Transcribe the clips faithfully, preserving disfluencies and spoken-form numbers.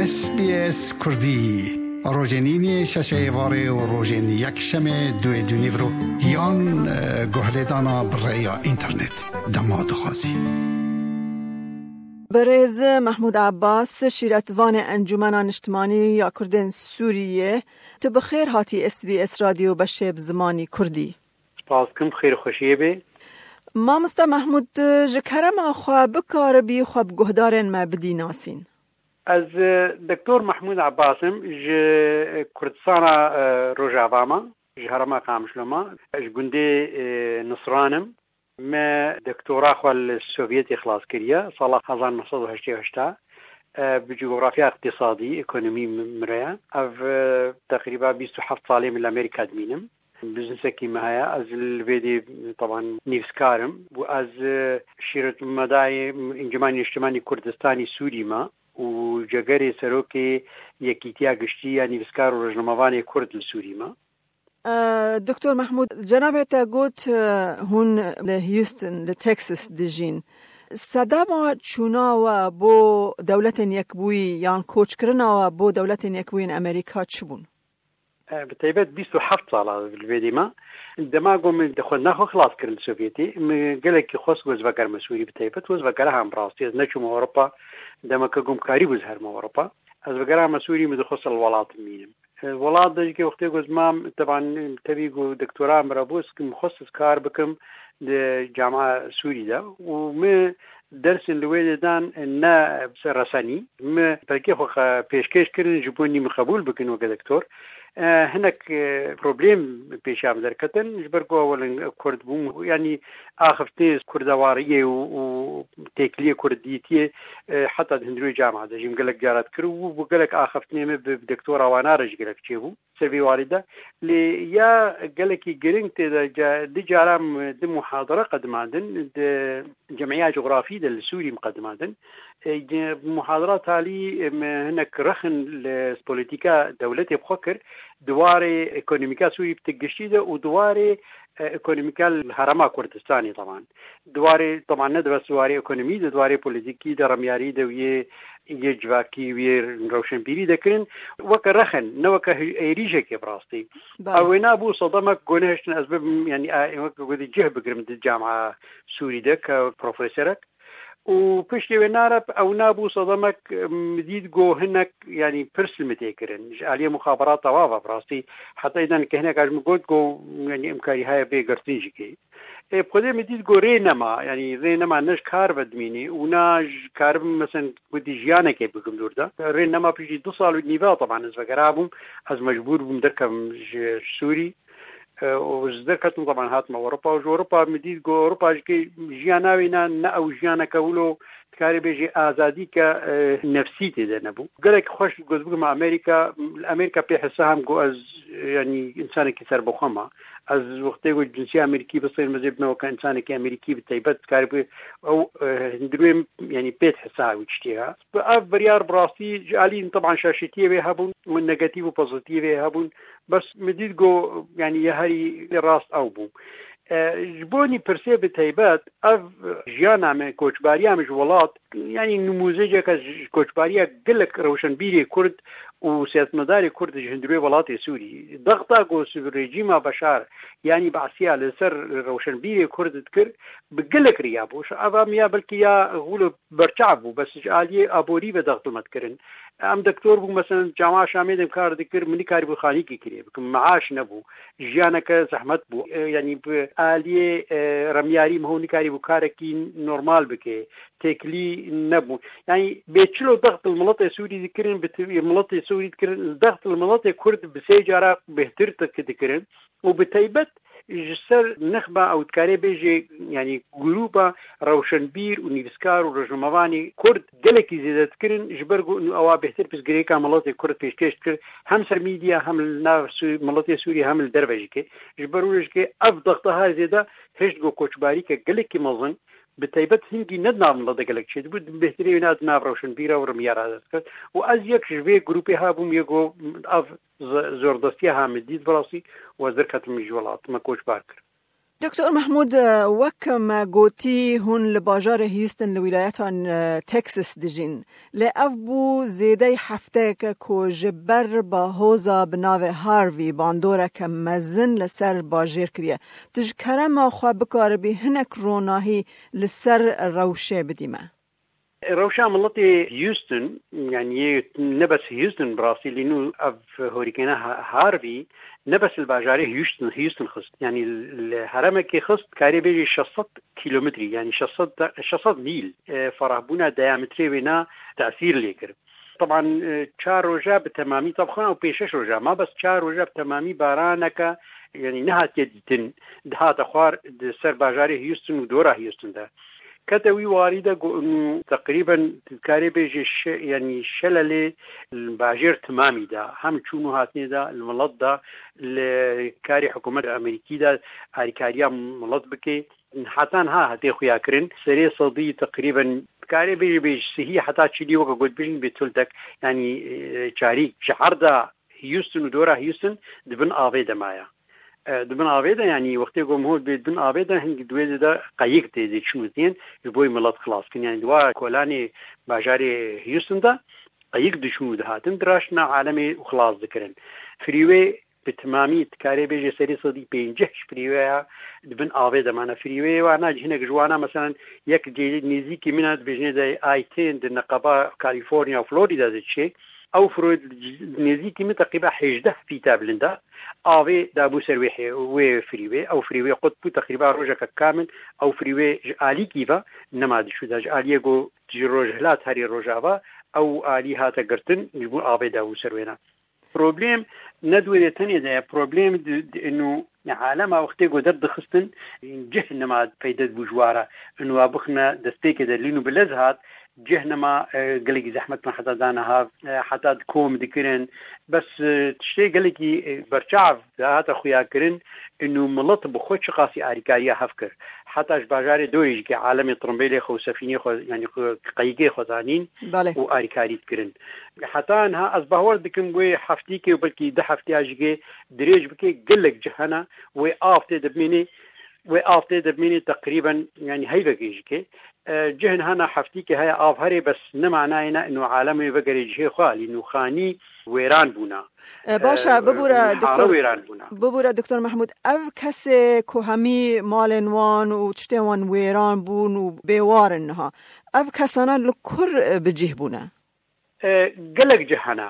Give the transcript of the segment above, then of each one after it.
S B S Kurdî, rojên înê şeşê êvarê û rojên yekşemê duê dûnîvro yan, e, guhlêdana bi rêya înternet dema dixwazî. Birêz Mehmûd Abbas, şîretvanê Encûmena Niştimanî ya Kurdên Sûriyê, tu bi xêr hatî S B S Radyo beşê bi zimanî Kurdî. Spas kim, xêr û xweşiyê bê. Mamoste Mehmûd, tu ji kerema xwe bikaribî xwe bi guhdarên me bidî nasîn? Ez, e, Doktor Mehmûd Abbas im, ji Kurdistana, e, Rojava me, ji herêma Qamişlo me, ji gundê, e, Nisran im. Me doktora xwe li Sovyetê xilas kiriye, sala hezar neh sed û heştê û heşt. E, bi coğrafya iqtisadî, ekonomî mi-, mire ye. Ev, e, teqrîba bîst û heft salê min li Amerîka dimînim. Biznesekî me heye. Ez li vê dê, teban, nivîskar im. Û ez, e, şîretmedayê Encûmenê Niştimanî Kurdistanî Sûrî me û cegerê serokê Yekîtiya Giştî ya Nivîskar û Rojnamevanê Kurd li Sûrî me. E, Doktor Mehmûd, cenabê te got, e, hûn li Houston, li Texas dijîn. Sedema çûna we bo Dewletên Yekbûyî yan koçkirina we bo Dewletên Yekbûyî yên Amerîka çi bûn? E, bi taybet bîst û heft sala li vê dê me. Dema ku min xwendina xwe xilas kir li Sovyetê, min gelekî xwest ku ez vegerime Sûrî, bi taybet ku ez vegeriha bi rastî. Ez neçûme Ewropa, demeke ku min karîbû ez herime Ewropa. Ez vegerime Sûrî, min dixwest li welat bimînim. E, welat de jî wextê ku ez mam, teban, tevî ku doktora min re bû, ez min xwest ez kar bikim di camia Sûrî de. Û min dersên li wê dê dan, e, ne resenî. Min pelkê xwe xe-, pêşkêş kirin, ji bo nî min qebûl bikin weke doktor. E, hinek, e, problem pêşiya min derketin, ji ber ku ewil Kurd bûm, yanî axiftinê kurdewariyê û, û têkiliyê Kurd dîtiyê, e, heta di hundirê camia de jî min gelek cara dikir û bû gelek axiftinê min bi, bi doktora wana re jî gelek çêbû. Ser vî warî de. Lê ya gelekî giring tê de ca-, di caran di muhadara qedimandin, di cemiya cografî de li Sûrî min qedimandin. E, ge-, muhadara talî, e, min hinek rexin li polîtîka dewletê bi xwe kir, di warê ekonomîka Sûrî bi ti giştî de û di warê, e, ekonomîka li herêma Kurdistanê, teban. Di warê, teban, ne di bes di warê ekonomî de, di warê polîtîkî de, remyarî de û yê yê civakî û yê rewşenbîrî dekirin, weke rexin, ne weke hi-, êrîşekê bi rastî. Belê. Ew wêna bû sedemek ku nehiştin ez bibim, yanî, a, weke gotî cih bigirim di camia Sûrî de ke profeserek. Û piştî wê nare ew nabû sedemek, em, dît ku hinek, yanî, pirs li min tê kirin. Ji aliyê muxaberata wa ve bi rastî. Heta îdan ke hinek ji min got ku, yanî, imkarî heye bê girtin jî kê. Ê, bi xwedê min dît ku rê nema, yanî rê nema ne ji kar ve dimînî û na ji karibim, mesen, gotî jiyanekê bikim dûr de. Rê nema piştî du sal û nîve, teban, ez vegerabûm, ez mecbûr bûm derkevim ji Sûrî. E, û ez derketim, teban, hatim Ewropa û ji Ewropa min dît ku Ewropa jî kê jiyana wê ne, ne ew jiyaneke wilo dikarî bêjî azadî ke, e, nefsî tê de nebû. Gelek xweş got bikim Amerîka, li Amerîka pê hisa hem ku ez, e, yanî, însanekî serbixwe me. Ez wextê ku cinsiya Amerîkî bistînim, ez ê bime weke însanekî Amerîkî bi taybet, dikarî bi ew, e, hundirê, yanî, pê hisa wî tiştê ha. Bi ev biryar bi rastî ji alî, teban, şaşetiyê wê hebûn û negatîf û pozîtîf wê hebûn. Bes min dît ku, yanî, ya herî rast ew bû. E, ji bo nî pirsê bi taybet, ev jiyana me, koçbariya me ji welat, yanî, nimûzeceke ji koçbariya gelek rewşenbîrê Kurd û siyasetmedarê Kurd ji hundirê welatê Sûrî. Dexta ku rejîma Beşar, yanî Beesiya, li ser rewşenbîrê Kurd dikir, bi gelek riya bû. Ev em ya belkî ya wilo berçav bû, bes ji aliyê aborî ve dext li me dikirin. Em doktor bû, meselen, cama Şamê de kar dikir, min nikarîbû xanîkî kirê bikim, meaş nebû, jiyaneke zehmet bû. E, yanî bi aliyê, e, remyarî min nikarîbû karekî normal bike, têkilî nebû. Yanî bê çilo dext li miletê Sûrî dikirin, bi ti-, miletê Sûrî dikirin, dext li miletê Kurd bi sê cara bêhtir dik-, dikirin. Û bi taybet ji ser nexba ew dikarê bêjê, yanî grûpa rewşenbîr û nivîskar û rojnamevanê Kurd gelekî zêde dikirin, ji ber ku ewa bêhtir pirsgirêka miletê Kurd pêşkêş dikir, hem ser medya, hem li nav Sû-, miletê Sûrî, hem li derve jî kê. Ji ber wê jî kê ev dexta her zêde hişt ku koçbarîke gelekî mezin, bi taybet hingî ne di nav miletê gelek çêdibû, bêhtirê wêna di nav rewşenbîra û rimyara de dikir. Û ez yek ji vê grûpê ha bûm, yê ku ev z-, zordestiya ha min dît bi rastî û ez derketim ji welat, me koçbar kir. Doktor Mehmûd, e, wek me gotî, hûn li bajarê Houston li wîlayeta, e, Texas dijîn. Lê ev bû zêdeyî hefteyeke ku ji ber bahoza bi navê Harvey bandoreke mezin li ser bajêr kiriye. Tu ji kerema xwe bikaribî hinek ronahî li ser rewşê bidî me? Rewşa miletê Houston, yanî yê ne bes Houston, bi rastî lê nû ev hurîkêna Ha-, Harvey ne bes li bajarê Houston, Houston xist. Yanî li heremekê xist, karê bêjî şeş sed kîlometrî, yanî şeş sed, şeş sed mîl, e, ferahbûna diametrê wê na tesîr lê kir. Teban, e, çar roja bi temamî, tabxana û pênc şeş roja, ma bes çar roja bi temamî baraneke, yanî nehatiye dîtin, dihate xwar di ser bajarê Houston û dora Houston de. Kete wî warî de ku nû teqrîben dikarê bêjê şe-, yanî şelelê li bajêr timamî de, hem çûn û hatinê de, li milet de, li karê hikûmet Amerîkî de, alîkariya milet bike. Heta niha hate xuya kirin. Serê sedî teqrîben dikarê bêjê bêj sihî heta çilî weke ku dibêjin bê tuldek, yanî, e, çarîk ji herda Houston û dora Houston di bin avê de maye. E, di bin avê de, yanî wextê ku mihot bê di bin avê de, hingî di wê de qeyik tê dê çin û tên ji bo milet xilas kin. Yanî di wa kolanê bajarê Houston de qeyik diçûn û dihatin, diraştina alemê û xilas dikirin. Freeway bi timamî dikarê bêjê serê sedî pêncî ji freewaya di bin avê de mane. Freewayê wana hinek ji wana, meselen, yek cê nêzîkî min e, dibêjinê de I ten di neqeba California û Florida de diçê. Ew fro-, nêzîkî min teqrîba hêjdeh fîta bilind e. Avê dabû ser wê hê-, wê freeway. Ew freeway qut bû, teqrîba rojeke kamil ew freeway ji alîkî ve nema diçû de. Ji aliyê ku ji rojhilat herî rojava ew alî hate girtin, ji bo avê dabû ser wêna. Problem ne di wê de tenê de ye. Problem di, di, ino alema wextê ku derdixistin, cih nema peyde dibû ji wara. Ino wa bixine destpêkê de lîn û bilez hat, cih nema, e, gelekî zehmet me heta dana hav, e, heta di kom dikirin. Bes, e, tiştê gelekî, e, berçav dahate xuya kirin, ino milet bi xwe çiqasî arîkariya hev kir. Heta ji bajarê dorê jî ke alemê tirimbêlê xwe û sefînê xwe, yanî xwe, qeyikê xwe zanîn Belê. û arîkarî dikirin. Heta niha ez bawer dikim wê heftîkê û belkî du hefteya jî ke dirêj bike, gelek cih hene, wê av tê de bimînê, wê av tê de bimînê teqrîben, yanî heyvekê jî ke. E, cihên hene heftîkê heye av herê, bes ne manayê ne ino alem wê vegerê cihê xwe alî nûxanî wêran bûna. E, baş e, E, bibûre, nihara doktor, wêran bûna. Bibûre, doktor Mehmûd, ev kesê ku hemî malên wan û tiştê wan wêran bûn û bêwar in niha, ev kesana li kur, e, bi cih bûne? E, gelek cih hene.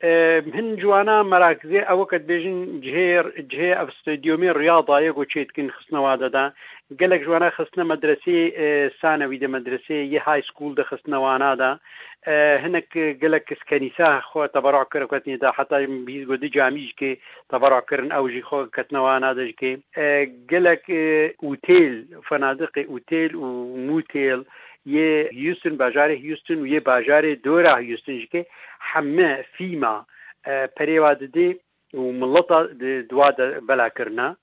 E, hin ji wana merakzê ew weke dibêjin cihê, cihê ev stadiyomê riyada ye ku çê dikin xistine wa de de. Gelek ji wana xistine medresê, e, sanewî de, medresê yê high school de xistine wana de. E, hinek gelek kenîsa xwe teberuh kir, ketine de, heta bihîst ku di camî jî ke teberuh kirin, ew jî xwe ketine wana de jî ke. E, gelek, e, otêl, fenadiqê otêl û motêl yê Houston, bajarê Houston û yê bajarê dora Houston jî ke heme fîma, e, perê wa didê û mileta di, di wa de bela kirine.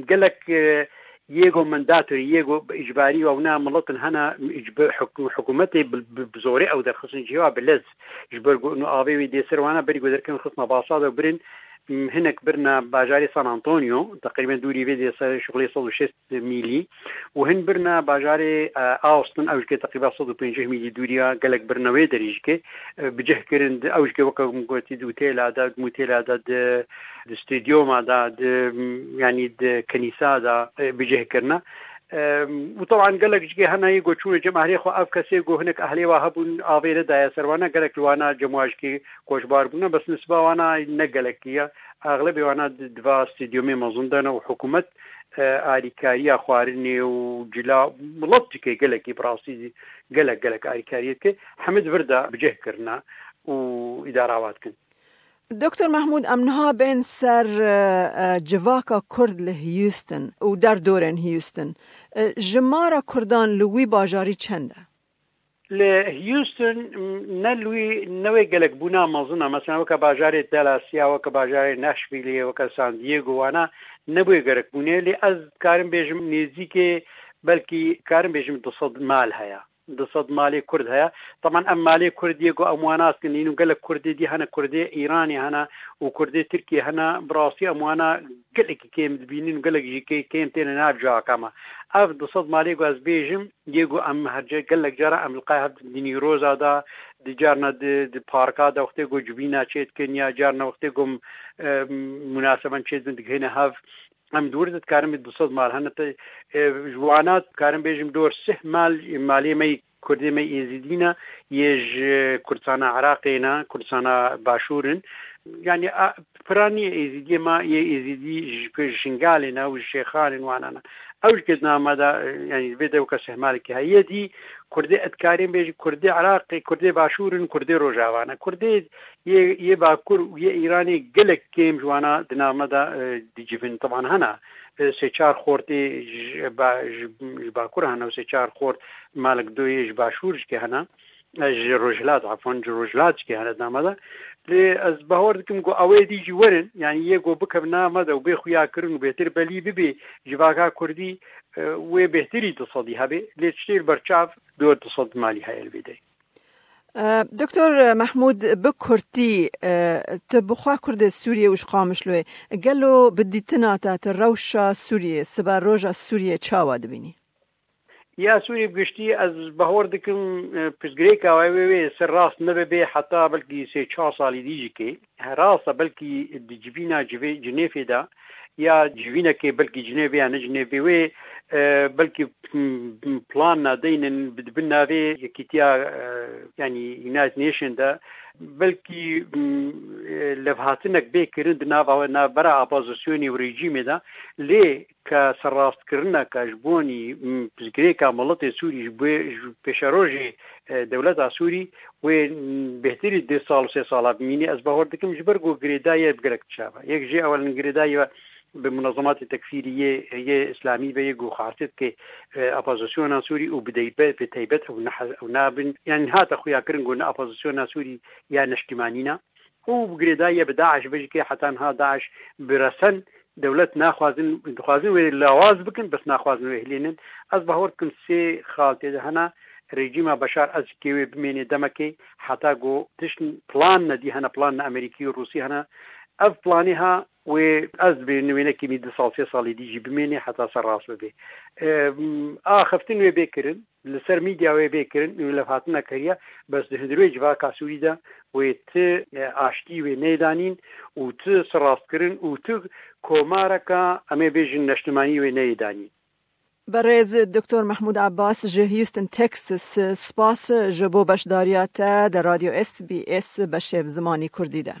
Gelek, e, yê go mandatorî, yê go bi îcbarî wa wina miletin hene, îcb-, hikû-, hikûmetê bi, bi, bi zorê ew derxistin cihê wa bi lez. Ji ber ku ino avê wê dê ser wana berî ku derkevin xistina basa de birin, m, hinek birine bajarê San Antonio, teqrîben dûrî vê dê ser şixulê sed û şêst mîlî û hin birine bajarê, e, Austin, ew jî ke teqrîben sed û pêncî mîlî dûriya, gelek birine wê derê jî ke, e, bi cih kirin, di, ew jî ke weke min gotî di otêla de, di motêla de, di, di stadiyoma de, di, yanî di kenîsa de, e, bi cih kirine. E, û teban gelek jî ke hene yê ku çûne cem ehlê xwe, ev kesê ku hinek ehlê wa hebûn avê nedaye ser wana, gelek ji wana cem wa jî ke koçbar bûne, bes nisba wana ne gelekî ye. Exlebê wana di, di va stadiyomê mezin de ne û hikûmet, e, alîkariya xwarinê û cila, milet dike gelekî, bi rastî gelek, gelek alîkariyê dike. Hemî di vir de bi cih kirine û îdara wa dikin. Doktor Mehmûd, em niha bên ser, e, e, civaka Kurd li Houston û derdorên Houston. E, jimara Kurdan li wî bajarî çend e? Li Houston, m, ne li wî, ne wê gelek bûna mezin e. Mesela weke bajarê Dallas ya, weke bajarê Nashville ye, weke San Diego, wana ne bi wê gelek bûne. Lê ez karim bêjim nêzîkê, belkî karim bêjim du sed mal heye. du sed malê Kurd heye. Teban em malê Kurd yê ku em wana dikin, nîn û gelek Kurdê dî hene, Kurdê Îranê hene û Kurdê Tirkiyê hene. Bi rastî em wana gelekî kêm dibînin û gelek jî kê-, kêm têne nav cihaka me. Ev du sed malê ku ez bêjim, yê ku em her ce-, gelek cara em li qey hev di nîroza de, di carna di, di parka de wextê ku civîna çêdikin ya carna wextê ku, e, munaseban çêdibin digihêne hev. Em di wir de dikarin bê du sed mal hene te, e, ji wana dikarin bêjim dor sih mal, malê me yê Kurdê me Êzidî ne, yê ji Kurdistana Iraqê ne, Kurdistana Başûr in. Yani, a, pira niye Êzidiyê me, yê Êzidî ji, ji Şingalê ne û ji Şêxan in wana ne. Ew ji ke di nav me de, e, yani, vê de weke sih malekî heye. Yê dî Kurdê, ez dikarin bêjim, Kurdê Iraqê, Kurdê Başûr in, Kurdê Rojava ne. Kurdê yê, yê Bakur û yê Îranê gelek kêm ji wana di nav me de, e, dicivin. Teban hene, e, sê çar xortê ji ba-, ji, ji Bakur hene û sê çar xort malek doyê ji Başûr jikê hene. E, ji Rojhilat, efwan, ji Rojhilat jikê hene di nav me de. Lê ez bahor dikim ku ew ê dî jî werin, yani yê ku bikevin nav me de û bê xuya kirin û bêtir belî bibe civaka Kurdî, e, wê bêhtirî du sedî hebe. Lê tiştê li ber çav dor du sed malî heye li vê derê. E, Doktor Mehmûd, bi kurtî, e, tu bi xwe Kurdê Sûriyê û ji Qamişloyê, gelo bi dîtina te tu rewşa Sûriyê, sibe roja Sûriyê çawa dibînî? Ya Sûriyê bi giştî, ez bahor dikim, e, pirsgirêka wê, wê, wê ser rast nebe bê heta belkî sê çar salî dî jî kê. He, rast e, belkî di civîna civê-, Cinêfê de ya civînekê belkî Cinêvê ya ne Cinêvê wê, e, belkî, m, m, plan nadeynin bi, di bin navê yekîtiya, e, yanî United Nation de belkî, m, e, levhatinek bê kirin di nava, navbera opozisyonê û rejîmê de, lê ke serrastkirina ke ji bonî, m, pirsgirêka miletê Sûrî ji bo, ji pêşerojê, e, dewleta Sûrî wê, m, bêhtirî du sal û sê sala bimînî. Ez bahor dikim ji ber ku girêdayî bi gelek çav e. Yek jê ewelin girêdayî bi munezematê tekfîrî yê, yê îslamî ve yê ku xwastê dike, e, opozisyona Sûrî û bi deybe-, bi taybet ew nehe-, ew nabin. Yani hate xuya kirin ku ne opozisyona Sûrî ya neştîmanî ne. Û bi girêdayî ye bi DAIŞ ve jî ke heta niha DAIŞ bi resen dewlet naxwazin, dixwazin wê lawaz bikin, bes naxwazin wê hilînin. Ez bahor dikim sê xal tê de hene, rejîma Beşar Esed kê wê bimênê demekê, heta ku tişt plan nedî hene, plan ne Amerîkî û Rûsî hene. Ev planê ha wê ez dibê wênekî mî du sal, sê salê dî jî bimênê heta ser rast bibe. Em, axiftin wê bê kirin, li ser medya wê bê kirin, wê levhatina kiriye, bes di hundirê civaka Sûrî de wê ti, e, aştî wê neyê danîn û ti serrastkirin û ti komareka, em ê bêjin, neştimanî wê neyê danîn. Berêz Doktor Mehmûd Abbas ji Houston, Texas, spas ji bo beşdariya te di Radyo S B S beşê bi zimanî Kurdî de.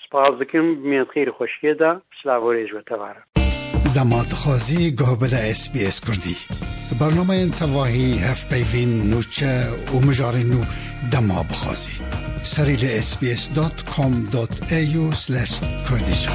Spas dikim, mêrxêr û xweşiyê de, silav û rêz ji we tevarin. Dema dixwazî guh bide S B S Kurdî. Bernameyên tevahî, hevpeyvîn, nûçe û mijarên nû dema bixwazî. Serî li S B S dot com dot A U slash Kurdish.